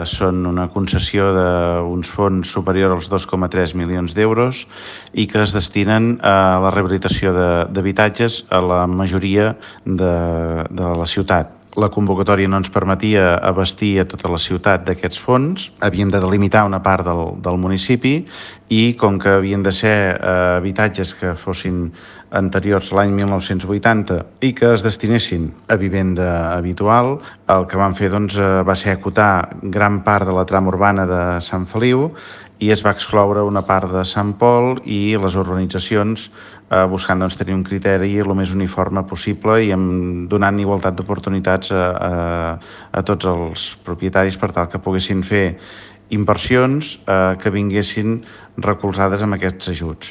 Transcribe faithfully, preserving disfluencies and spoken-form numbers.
Són una concessió d'uns fons superior als dos coma tres milions d'euros i que es destinen a la rehabilitació d'habitatges a la majoria de, de la ciutat. La convocatòria no ens permetia abastir a tota la ciutat d'aquests fons. Havíem de delimitar una part del, del municipi i com que havien de ser eh, habitatges que fossin anteriors a l'any mil nou-cents vuitanta i que es destinessin a vivenda habitual, el que vam fer doncs, va ser acotar gran part de la trama urbana de Sant Feliu i es va excloure una part de Sant Pol i les urbanitzacions eh, buscant doncs, tenir un criteri el més uniforme possible i amb, donant igualtat d'oportunitats a, a, a tots els propietaris per tal que poguessin fer inversions eh, que vinguessin recolzades amb aquests ajuts.